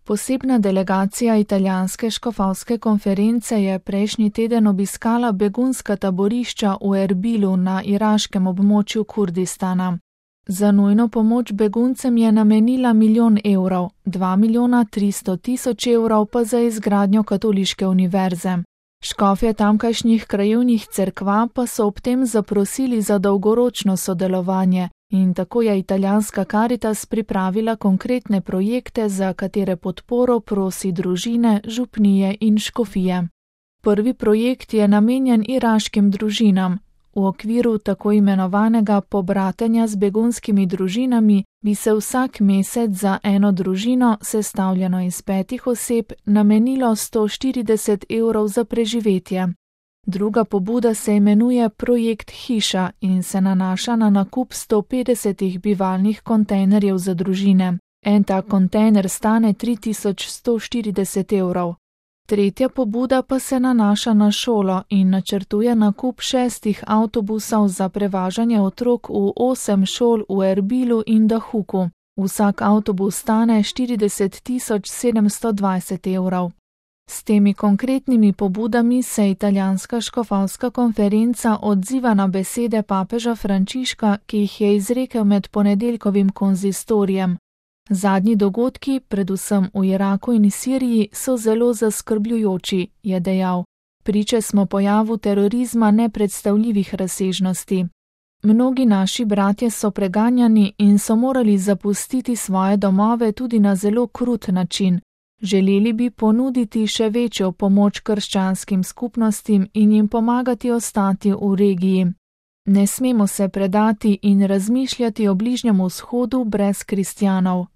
Posebna delegacija italijanske škofovske konference je prejšnji teden obiskala begunska taborišča v Erbilu na iraškem območju Kurdistana. Za nujno pomoč beguncem je namenila 1 milijon evrov, 2 milijona 300 tisoč evrov pa za izgradnjo katoliške univerze. Škofje tamkajšnjih krajevnih cerkva pa so ob tem zaprosili za dolgoročno sodelovanje in tako je italijanska Caritas pripravila konkretne projekte, za katere podporo prosi družine, župnije in škofije. Prvi projekt je namenjen iraškim družinam. V okviru tako imenovanega pobratenja z begunskimi družinami bi se vsak mesec za eno družino, sestavljeno iz 5 oseb, namenilo 140 evrov za preživetje. Druga pobuda se imenuje Projekt Hiša in se nanaša na nakup 150 bivalnih kontejnerjev za družine. En tak kontejner stane 3140 evrov. Tretja pobuda pa se nanaša na šolo in načrtuje nakup 6 avtobusov za prevažanje otrok v 8 šol v Erbilu in Dahuku. Vsak avtobus stane 40 720 evrov. S temi konkretnimi pobudami se italijanska škofovska konferenca odziva na besede papeža Frančiška, ki jih je izrekel med ponedeljkovim konzistorijem. Zadnji dogodki, predvsem v Iraku in Siriji, so zelo zaskrbljujoči, je dejal. Priče smo pojavu terorizma nepredstavljivih razsežnosti. Mnogi naši bratje so preganjani in so morali zapustiti svoje domove tudi na zelo krut način. Želeli bi ponuditi še večjo pomoč krščanskim skupnostim in jim pomagati ostati v regiji. Ne smemo se predati in razmišljati o Bližnjem vzhodu brez kristjanov,